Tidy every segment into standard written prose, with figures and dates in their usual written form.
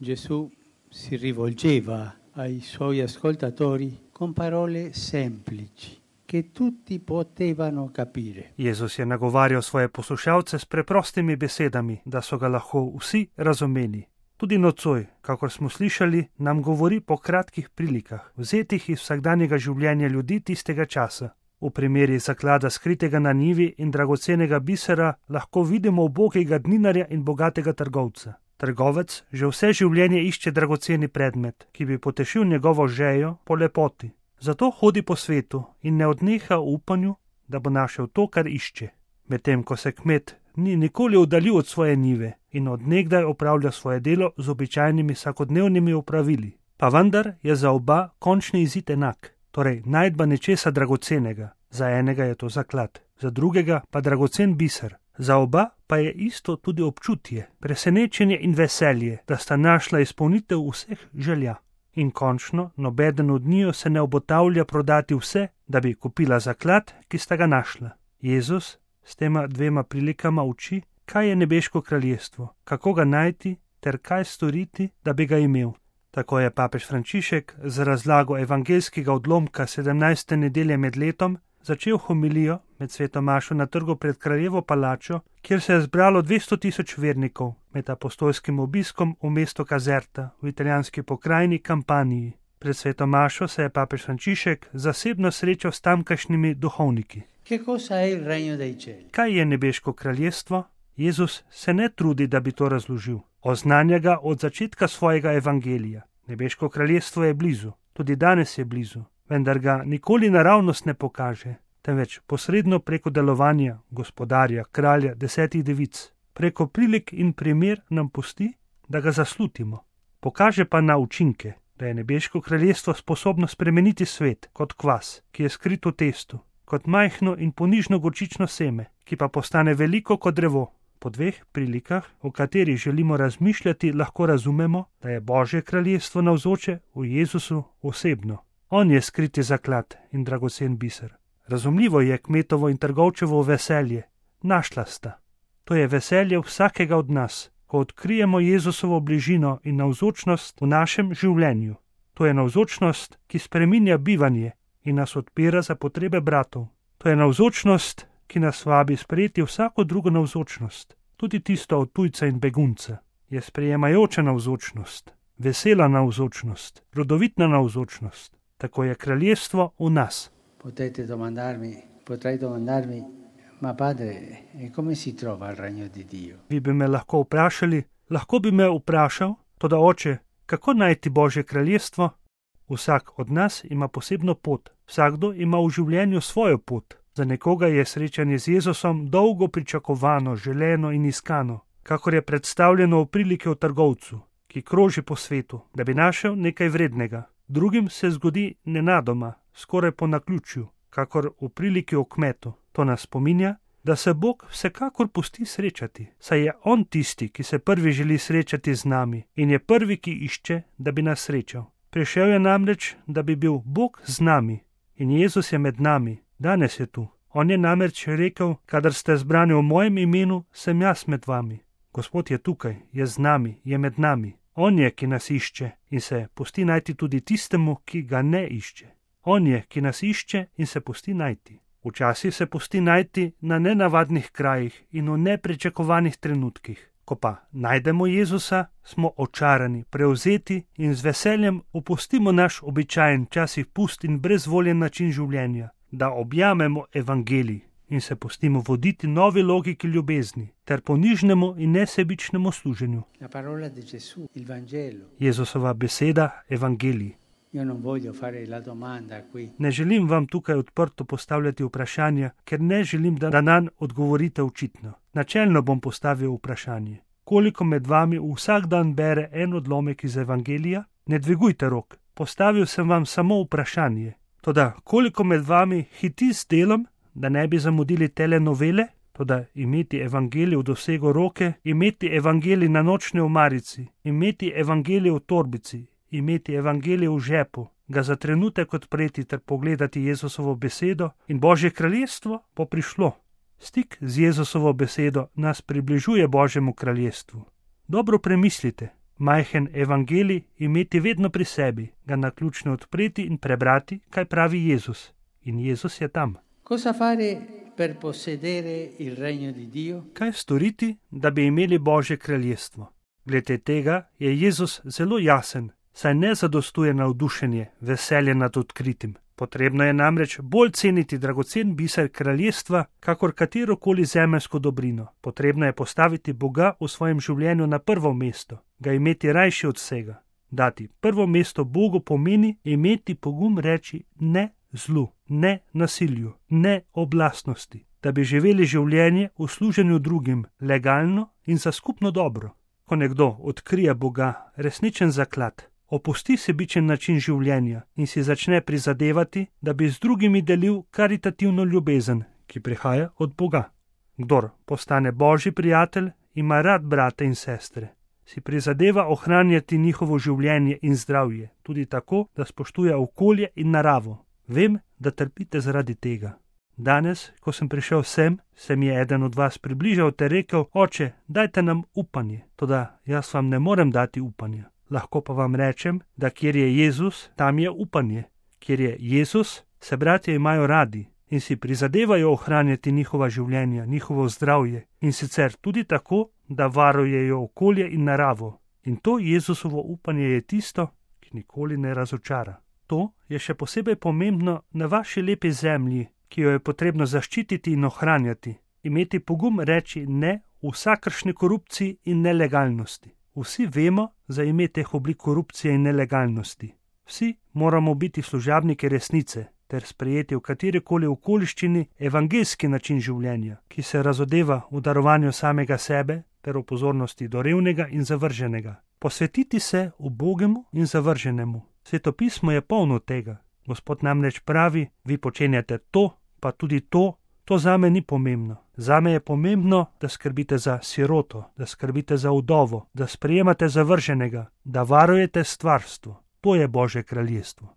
Gesù si rivolgeva ai suoi ascoltatori con parole semplici, che tutti potevano capire. Jezus je nagovarjal svoje poslušalce s preprostimi besedami, da so ga lahko vsi razumeli. Tudi nocoj, kakor smo slišali, nam govori po kratkih prilikah, vzetih iz vsakdanjega življenja ljudi tistega časa. V primeri zaklada skritega na njivi in dragocenega bisera lahko vidimo ubogega dninarja in bogatega trgovca. Trgovec že vse življenje išče dragoceni predmet, ki bi potešil njegovo žejo po lepoti. Zato hodi po svetu in ne odneha v upanju, da bo našel to, kar išče. Medtem ko se kmet ni nikoli oddaljil od svoje njive in od nekdaj opravlja svoje delo z običajnimi vsakodnevnimi opravili. Pa vendar je za oba končni izid enak, torej najdba nečesa dragocenega. Za enega je to zaklad, za drugega pa dragocen biser. Za oba pa je isto tudi občutje, presenečenje in veselje, da sta našla izpolnitev vseh želja. In končno, nobeden od njiju se ne obotavlja prodati vse, da bi kupila zaklad, ki sta ga našla. Jezus s tema dvema prilikama uči, kaj je nebeško kraljestvo, kako ga najti ter kaj storiti, da bi ga imel. Tako je papež Frančišek z razlago evangeljskega odlomka 17. nedelje med letom začel homilijo med sveto mašo na trgu pred kraljevo palačo, kjer se je zbralo 200.000 vernikov med apostolskim obiskom v mesto Caserta v italijanski pokrajini Kampaniji. Pred sveto mašo se je papež Frančišek zasebno srečal s tamkajšnjimi duhovniki. Kaj je nebeško kraljestvo? Jezus se ne trudi, da bi to razložil. Oznanja ga od začetka svojega evangelija. Nebeško kraljestvo je blizu, tudi danes je blizu, vendar ga nikoli naravnost ne pokaže, temveč posredno preko delovanja gospodarja, kralja, 10 devic. Preko prilik in primer nam pusti, da ga zaslutimo. Pokaže pa na učinke, da je nebeško kraljestvo sposobno spremeniti svet kot kvas, ki je skrit v testu, kot majhno in ponižno gorčično seme, ki pa postane veliko kot drevo. Po dveh prilikah, o katerih želimo razmišljati, lahko razumemo, da je Božje kraljestvo navzoče v Jezusu osebno. On je skriti zaklad in dragocen biser. Razumljivo je kmetovo in trgovčevo veselje. Našla sta. To je veselje vsakega od nas, ko odkrijemo Jezusovo bližino in navzočnost v našem življenju. To je navzočnost, ki spreminja bivanje in nas odpira za potrebe bratov. To je navzočnost, ki nas vabi sprejeti vsako drugo navzočnost, tudi tisto od tujca in begunca. Je sprejemajoča navzočnost, vesela navzočnost, rodovitna navzočnost. Tako je kraljestvo v nas. Potrei domandarmi, ma padre, come si trova il regno di Dio? Vi bi me lahko vprašali, lahko bi me vprašal, toda oče, kako najti Božje kraljestvo? Vsak od nas ima posebno pot, vsakdo ima v življenju svojo pot. Za nekoga je srečanje z Jezusom dolgo pričakovano, želeno in iskano, kakor je predstavljeno v priliki o trgovcu, ki kroži po svetu, da bi našel nekaj vrednega. Drugim se zgodi nenadoma, skoraj po naključju, kakor v priliki o kmetu. To nas spominja, da se Bog vsekakor pusti srečati, saj je On tisti, ki se prvi želi srečati z nami in je prvi, ki išče, da bi nas srečal. Prišel je namreč, da bi bil Bog z nami in Jezus je med nami. Danes je tu. On je namreč rekel, kadar ste zbrani v mojem imenu, sem jaz med vami. Gospod je tukaj, je z nami, je med nami. On je, ki nas išče in se pusti najti tudi tistemu, ki ga ne išče. On je, ki nas išče in se pusti najti. Včasih se pusti najti na nenavadnih krajih in v nepričakovanih trenutkih. Ko pa najdemo Jezusa, smo očarani, prevzeti in z veseljem opustimo naš običajen, včasih pust in brezvoljen način življenja, da objamemo evangelij in se pustimo voditi novi logiki ljubezni ter ponižnemu in nesebičnemu služenju. Jezusova beseda, evangelij. Ne želim vam tukaj odprto postavljati vprašanja, ker ne želim, da nanj odgovorite očitno. Načelno bom postavil vprašanje. Koliko med vami vsak dan bere en odlomek iz evangelija? Ne dvigujte rok. Postavil sem vam samo vprašanje. Toda koliko med vami hiti s delom, da ne bi zamudili telenovele? Toda imeti evangelij v dosegu roke, imeti evangelij na nočni omarici, imeti evangelij v torbici, imeti evangelij v žepu, ga za trenutek odpreti ter pogledati Jezusovo besedo in Božje kraljestvo bo prišlo. Stik z Jezusovo besedo nas približuje Božjemu kraljestvu. Dobro premislite, Majhen evangelij imeti vedno pri sebi, ga naključno odpreti in prebrati, kaj pravi Jezus. In Jezus je tam. Cosa fare per possedere il regno di Dio? Kaj storiti, da bi imeli Božje kraljestvo? Glede tega je Jezus zelo jasen, saj ne zadostuje navdušenje, veselje nad odkritim. Potrebno je namreč bolj ceniti dragocen biser kraljestva, kakor katerokoli zemeljsko dobrino. Potrebno je postaviti Boga v svojem življenju na prvo mesto, ga imeti rajši od vsega. Dati prvo mesto Bogu pomeni imeti pogum reči ne zlu, ne nasilju, ne oblastnosti, da bi živeli življenje v služenju drugim, legalno in za skupno dobro. Ko nekdo odkrije Boga, resničen zaklad, opusti sebičen način življenja in si začne prizadevati, da bi z drugimi delil karitativno ljubezen, ki prihaja od Boga. Kdor postane Božji prijatelj, ima rad brate in sestre. Si prizadeva ohranjati njihovo življenje in zdravje, tudi tako, da spoštuje okolje in naravo. Vem, da trpite zaradi tega. Danes, ko sem prišel sem, se mi je eden od vas približal ter rekel: Oče, dajte nam upanje. Toda jaz vam ne morem dati upanja. Lahko pa vam rečem, da kjer je Jezus, tam je upanje. Kjer je Jezus, se bratje imajo radi in si prizadevajo ohranjati njihova življenja, njihovo zdravje in sicer tudi tako, da varujejo okolje in naravo. In to Jezusovo upanje je tisto, ki nikoli ne razočara. To je še posebej pomembno na vaši lepi zemlji, ki jo je potrebno zaščititi in ohranjati. Imeti pogum reči ne vsakršni korupciji in nelegalnosti. Vsi vemo za ime teh oblik korupcije in nelegalnosti. Vsi moramo biti služabniki resnice ter sprejeti v katerikoli okoliščini evangeljski način življenja, ki se razodeva v darovanju samega sebe ter v pozornosti do revnega in zavrženega. Posvetiti se ubogemu in zavrženemu. Svetopismo je polno tega. Gospod namreč pravi: vi počenjate to, pa tudi to. To zame ni pomembno. Zame je pomembno, da skrbite za siroto, da skrbite za vdovo, da sprejemate zavrženega, da varujete stvarstvo. To je Božje kraljestvo.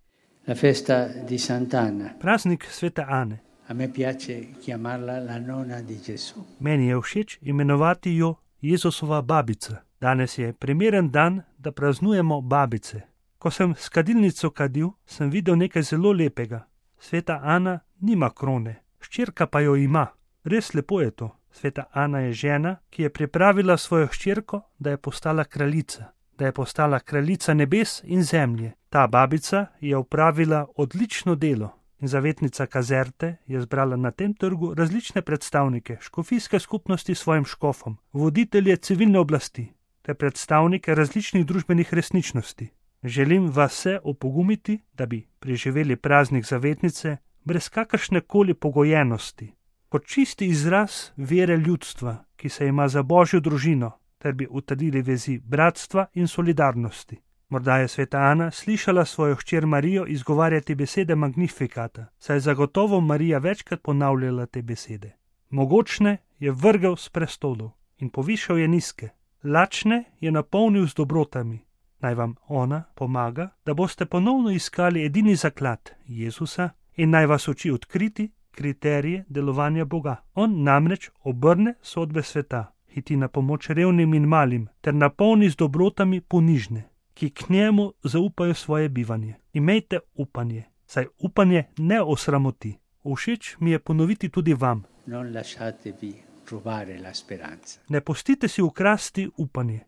La festa di Sant'Anna. Praznik svete Ane. A me piace chiamarla la nonna di Gesù. Meni je všeč imenovati jo Jezusova babica. Danes je primeren dan, da praznujemo babice. Ko sem s kadilnico kadil, sem videl nekaj zelo lepega. Sveta Ana nima krone, hčerka pa jo ima. Res lepo je to. Sveta Ana je žena, ki je pripravila svojo hčerko, da je postala kraljica. Da je postala kraljica nebes in zemlje. Ta babica je opravila odlično delo in zavetnica Kazerte je zbrala na tem trgu različne predstavnike škofijske skupnosti s svojim škofom, voditelje civilne oblasti ter predstavnike različnih družbenih resničnosti. Želim vas vse opogumiti, da bi preživeli praznik zavetnice brez kakršnekoli pogojenosti, kot čisti izraz vere ljudstva, ki se ima za Božjo družino, ter bi utrdili vezi bratstva in solidarnosti. Morda je sveta Ana slišala svojo hčer Marijo izgovarjati besede Magnifikata, saj je zagotovo Marija večkrat ponavljala te besede. Mogočne je vrgel s prestolov in povišal je nizke, lačne je napolnil z dobrotami. Naj vam ona pomaga, da boste ponovno iskali edini zaklad Jezusa in naj vas uči odkriti kriterije delovanja Boga. On namreč obrne sodbe sveta, hiti na pomoč revnim in malim ter napolni z dobrotami ponižne, ki k njemu zaupajo svoje bivanje. Imejte upanje, saj upanje ne osramoti. Všeč mi je ponoviti tudi vam. Non lasciatevi rubare la speranza. Ne pustite si ukrasti upanje.